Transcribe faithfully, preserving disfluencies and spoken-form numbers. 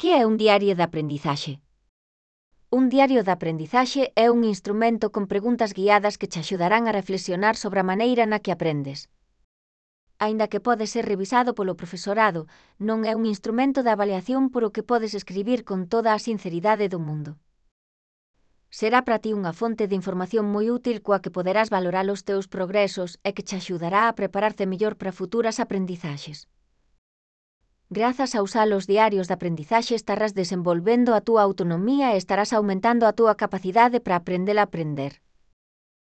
Que é un diario de aprendizaxe? Un diario de aprendizaxe é un instrumento con preguntas guiadas que te axudarán a reflexionar sobre a maneira na que aprendes. Aínda que pode ser revisado polo profesorado, non é un instrumento de avaliación por o que podes escribir con toda a sinceridade do mundo. Será para ti unha fonte de información moi útil coa que poderás valorar os teus progresos e que te axudará a prepararte mellor para futuras aprendizaxes. Grazas a usar os diarios de aprendizaxe estarás desenvolvendo a túa autonomía e estarás aumentando a túa capacidade para aprender a aprender.